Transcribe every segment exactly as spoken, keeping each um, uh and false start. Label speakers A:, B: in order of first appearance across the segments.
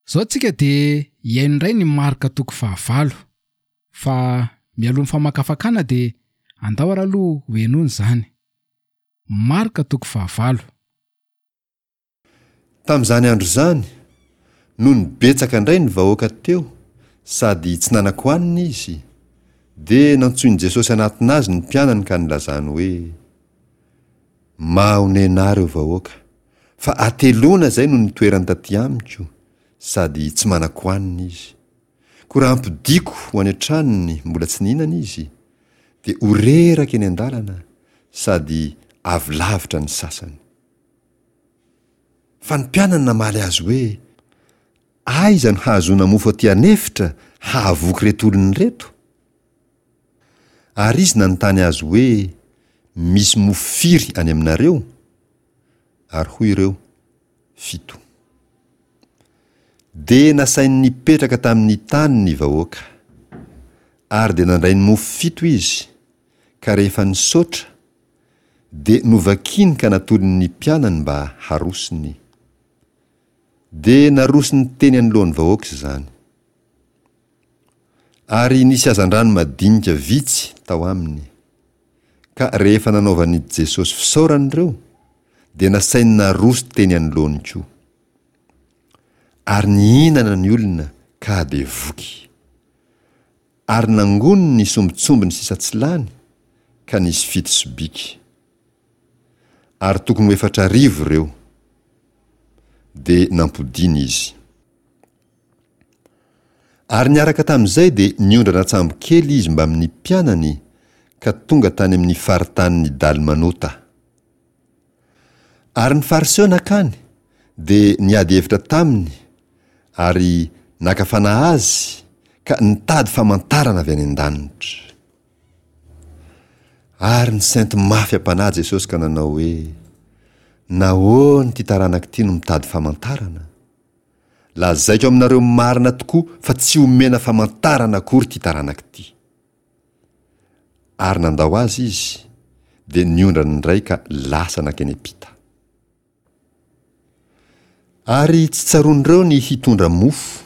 A: Izao tsika dia hihaino indray ny Marka toko fahavalo. Fa mialoha ny famakafakana dia andao ary aloha ho henoina izany. Marka toko fahavalo.
B: Tamin'izany andro izany, nony betsaka indray ny vahoaka teo sady tsy nanan-kohanina izy, dia nantsoin'i Jesosy hanatona azy ny mpianany ka nilazany hoe, Mahonena ahy ireo vahoaka, fa hateloana izay no nitoerany taty amiko, sady tsy manan-kohanina izy. Koa raha ampodiako ho any an-tranony mbola tsy nihinana izy, dia ho reraka eny an-dalana, sady avy lavitra ny sasany. Fa ny mpianany namaly azy hoe, Aiza no hahazoana mofo aty an'efitra hahavoky ireto olona ireto? Ary izy nanontany azy hoe, Misy mofo firy any aminareo? Ary hoy ireo, Fito. Dia nasainy nipetraka tamin'ny tany ny vahoaka. Ary dia nandray ny mofo fito izy, ka rehefa nisaotra, dia novakiny ka natolony ny mpianany mba harosony. Dia narosony teny anoloan'ny vahoaka izany. Ary nisy hazandrano madinika vitsy tao aminy. Ka rehefa nanaovan'i Jesosy fisaorana ireo, dia nasainy naroso teny anoloany koa. Ary nihinana ny olona ka dia voky. Ary nangoniny ny sombintsombiny sisa tsy lany, ka nisy fito sobiky. Ary tokony ho efatra arivo ireo. Dia nampodiany izy. Ary niaraka tamin'izay dia niondrana an-tsambo kely izy mbamin'ny mpianany ka tonga tany amin'ny faritanin'i Dalmanota. Ary ny Fariseo nankany dia niady hevitra taminy ary naka fanahy azy ka nitady famantarana avy any an-danitra. Ary nisento mafy am-panahy Jesosy ka nanao hoe, Nahoana ity taranaka ity no mitady famantarana? Lazaiko aminareo marina tokoa fa tsy homena famantarana akory ity taranaka ity. Ary nandao azy izy, dia niondrana indray ka lasa nankeny am-pita. Ary tsy tsaroan'ireo ny hitondra mofo,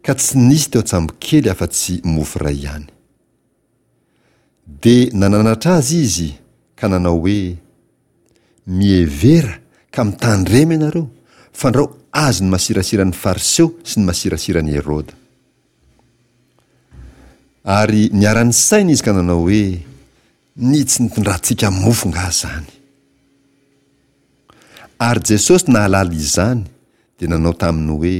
B: ka tsy nisy teo an-tsambokely afa-tsy mofo iray ihany. Dia nananatra azy izy ka nanao hoe, Mihevera ka mitandrema ianareo, fandrao azon'ny masirasiran'ny Fariseo sy ny masirasiran'i Heroda. Ary niara-nisaina izy ka nanao hoe, Ny tsy nitondrantsika mofo angaha izany? Ary Jesosy nahalala izany dia nanao taminy hoe,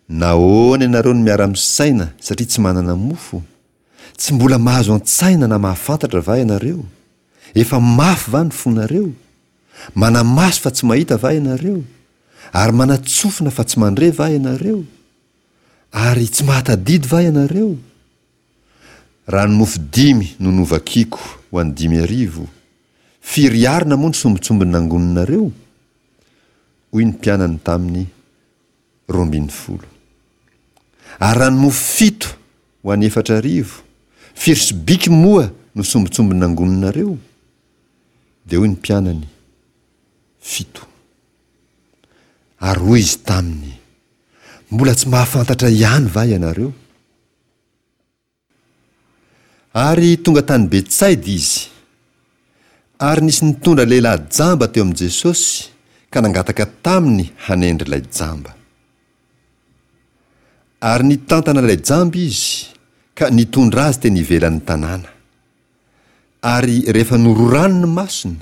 B: Nahoana ianareo no miara-misaina satria tsy manana mofo? Tsy mbola mahazo an-tsaina na mahafantatra va ianareo? Efa mafy va ny fonareo? Manamaso fa tsy mahita va ianareo? Ary manatsofina fa tsy mandre va ianareo? Ary tsy mahatadidy va ianareo? Raha ny mofo dimy no novakiko ho an'ny dimy arivo, firy arina moa ny sombintsombiny nangoninareo? Hoy ny mpianany taminy, Roa ambin'ny folo. Ary raha ny mofo fito ho an'ny efatra arivo, firy sobiky moa no sombintsombiny nangoninareo? Dia hoy ny mpianany, Fito. Ary hoy izy taminy, Mbola tsy mahafantatra ihany va ianareo? Ary tonga tany Betsaida izy. Ary nisy nitondra lehilahy jamba teo amin'i Jesosy ka nangataka taminy hanendry ilay jamba. Ary nitantana ilay jamba izy ka nitondra azy teny ivelan'ny tanàna. Ary rehefa nororany ny masony,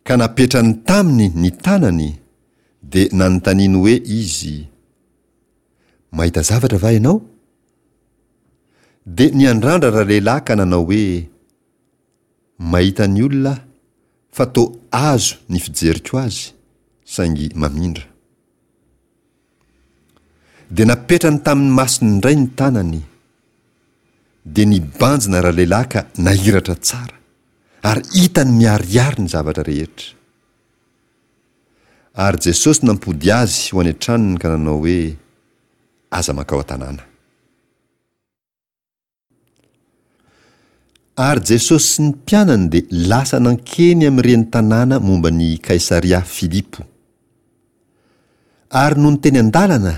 B: ka napetrany taminy ny tanany, dia nanontaniany hoe izy, Mahita zavatra va ianao? Dia niandrandra ralehilahy ka nanao hoe, Mahita ny olona aho, fa toa azo ny fijeriko azy, saingy mamindra. Dia napetrany tamin'ny masony indray ny tanany. Dia nibanjina ralehilahy ka nahiratra tsara, ary hitany miharihary ny zavatra rehetra. Ary Jesosy nampody azy ho any an-tranony ka nanao hoe, Aza mankao an-tanàna. Ary Jesosy sy ny mpianany dia lasa nankeny amin'ireny tanàna momba ny Kaisaria Filipo. Ary nony teny an-dalana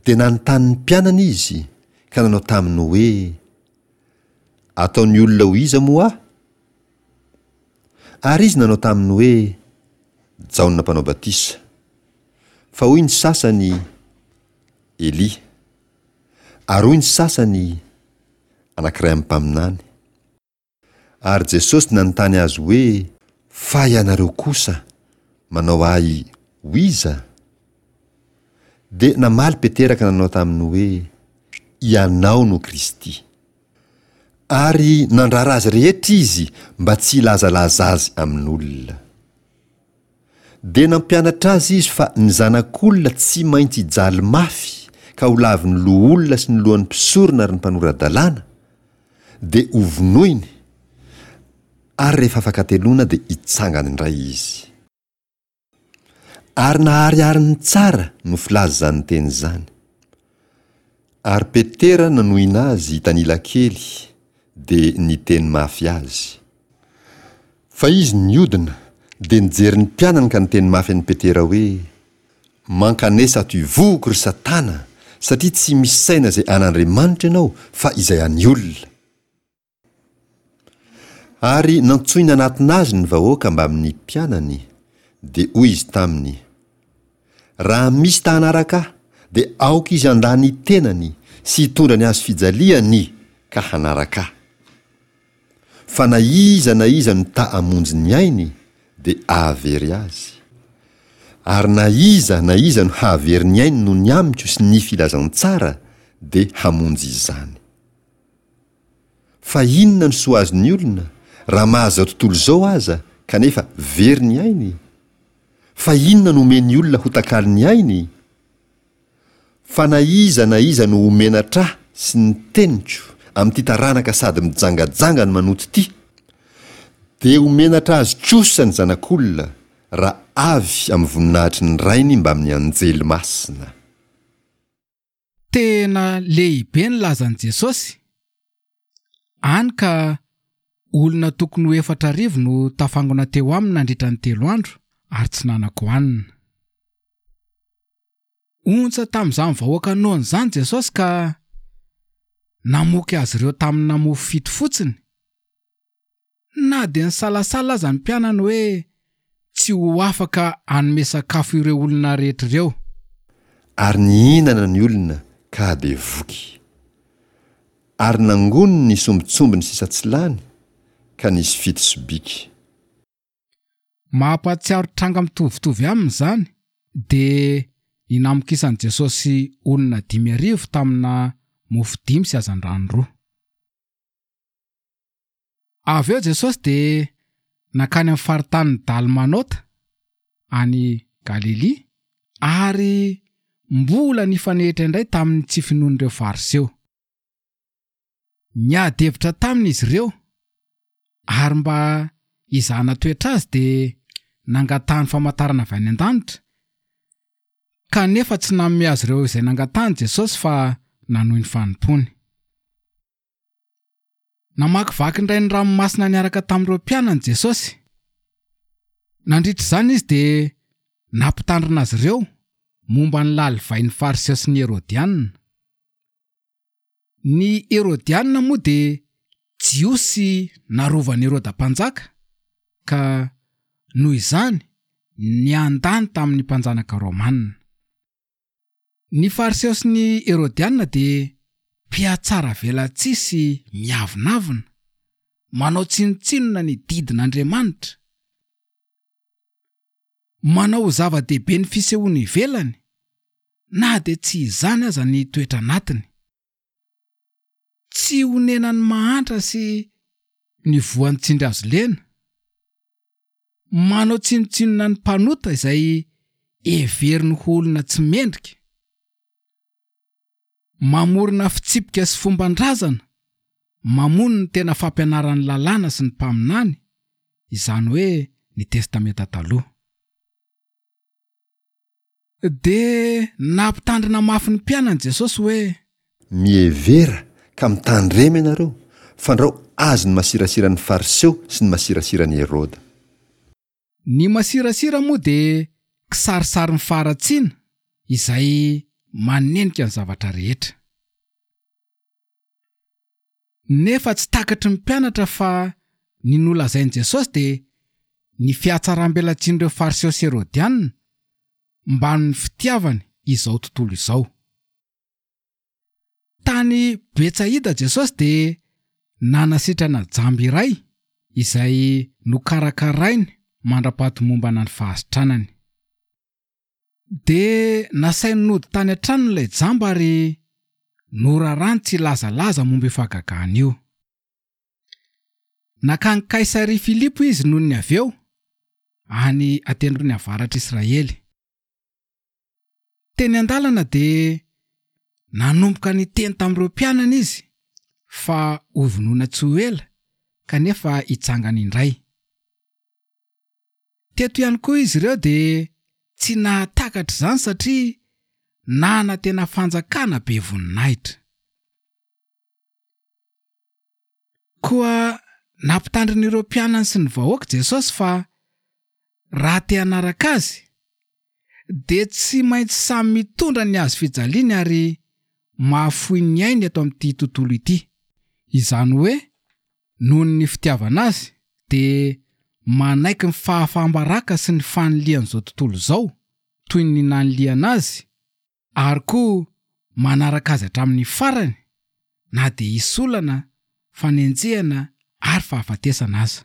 B: Dia nanontany ny mpianany izy ka nanao taminy hoe, Ataon'ny olona ho iza moa aho? Ary izy nanao taminy hoe, Jaona Mpanao Batisa. Fa hoy ny sasany, Elia. Ary hoy ny sasany, Anankiray amin'ny mpaminany. Ary Jesosy nanontany azy hoe, Fa ianareo kosa, manao ahy ho iza? Dia namaly Petera ka nanao taminy hoe, Ianao no Kristy. Ary nandrara azy rehetra izy mba tsy hilazalaza azy amin'olona. Dia nampianatra azy izy fa ny Zanak'olona tsy maintsy hijaly mafy ka ho lavin'ny loholona sy ny lohan'ny mpisorona ary ny mpanora-dalàna, dia hovonoiny, ary rehefa afaka hateloana dia hitsangana indray izy. Ary naharihariny tsara no filaza izany teny izany. Ary Petera nanohina azy hitanila kely, dia niteny mafy azy. Fa izy niodina, dia nijery ny mpianany ka niteny mafy an'i Petera hoe, Mankanesa ato ivohoko, ry Satana, satria tsy misaina izay an'Andriamanitra ianao, fa izay an'ny olona. Ary nantsoiny hanatona azy ny vahoaka mbamin'ny mpianany, dia hoy izy taminy, Raha misy ta hanaraka ahy, dia aoka izy handà ny tenany sy hitondra ny hazo fijaliany ka hanaraka ahy. Fa na iza na iza no ta hamonjy ny ainy, dia hahavery azy. Ary na iza na iza no hahavery ny ainy noho ny amiko sy ny filazantsara, dia hamonjy izany. Fa inona no soa azon'ny olona, raha mahazo izao tontolo izao aza, kanefa very ny ainy? Fa inona no omen'ny olona ho takalon'ny ainy? Fa na iza na iza no ho menatra ahy sy ny teniko amin'ity taranaka sady mijangajanga no manoto ity, dia ho menatra azy kosa ny Zanak'olona, raha avy amin'ny voninahitry ny Rainy mbamin'ny anjely masina.
A: Tena lehibe ny lazan'i Jesosy, hany ka olona tokony ho efatra arivo no tafangona teo aminy nandritra ny telo andro ary tsy nanan-kohanina. Ontsa tamin'izany vahoaka noana izany Jesosy ka namoky azy ireo tamina mofo fito fotsiny. Na dia nisalasala aza ny mpianany hoe tsy ho afaka hanome sakafo ireo olona rehetra ireo.
B: Ary nihinana ny olona ka dia voky. Ary nangoniny ny sombintsombiny sisa tsy lany, ka nisy fito sobiky.
A: Mampahatsiaro tranga mitovitovy aminy izany, dia ny namokisan'i Jesosy olona dimy arivo tamina mofo dimy sy hazandrano roa. Avy eo Jesosy dia nankany amin'ny faritanin'i Dalmanota any Galilia ary mbola nifanehitra indray tamin'ny tsy finoan'ireo Fariseo. Niady hevitra taminy izy ireo ary mba hizahana toetra azy dia nangatahany famantarana avy any an-danitra, kanefa tsy nanome azy ireo izay nangatahany Jesosy fa nanohy ny fanompoany. Namakivaky indray ny ranomasina niaraka tamin'ireo mpianany Jesosy. Nandritra izany izy dia nampitandrina azy ireo momba ny lalivain'ny Fariseo sy ny Herodianina. Ny Herodianina moa dia Jiosy narovan'i Heroda mpanjaka, ka noho izany niandany tamin'ny mpanjanaka romanina. Ny Fariseo sy ny Herodianina dia mpihatsaravelatsihy sy miavonavona, manao tsinontsinona ny didin'Andriamanitra, manao ho zava-dehibe ny fisehoany ivelany, na dia tsy izany aza ny toetra anatiny. Tsy onenan'ny mahantra sy ny voan'ny tsindry hazo lena. Manao tsinontsinona ny mpanota izay heveriny ho olona tsy mendrika. Mamorona fitsipika sy fomban-drazana mamono ny tena fampianaran'ny lalàna sy ny mpaminany, izany hoe ny Testamenta Taloha. Dia nampitandrina mafy ny mpianany Jesosy hoe.
B: Mihevera ka mitandrema ianareo, fandrao azon'ny masirasiran'ny Fariseo sy ny masirasiran'i Heroda.
A: Ny masirasira moa dia kisarisarin'ny faharatsiana izay manenika ny zavatra rehetra. Nefa tsy takatry ny mpianatra fa ny nolazain'i Jesosy dia ny fihatsaram-belatsian'ireo Fariseo sy Herodianina mbamin'ny fitiavany izao tontolo izao. Tany Betsaida Jesosy dia nanasitrana jamba iray izay nokarakarainy mandra-pahatomombana ny fahasitranany. Dia nasainy nody tany an-tranony ilay jamba ary norarany tsy hilazalaza momba io fahagagana io. Nankany Kaisaria Filipo izy noho ny avy eo, any an-tendrony avaratr'Israely. Teny an-dalana dia nanomboka niteny tamin'ireo mpianany izy fa hovonoina tsy ho ela kanefa hitsangana indray. Teto ihany koa izy ireo dia tsy nahatakatra izany satria nanantena fanjakana be voninahitra. Koa nampitandrina ireo mpianany sy ny vahoaka Jesosy fa raha te hanaraka azy dia tsy maintsy samy mitondra ny hazo fijaliany ary mahafoy ny ainy eto amin'ity tontolo ity. Izany hoe noho ny fitiavana azy dia manaiky ny fahafaham-baraka sy ny fanilihan'izao tontolo izao toy ny nanilihana azy ary koa manaraka azy hatramin'ny farany na dia hisy olana, fanenjehana ary fahafatesana aza.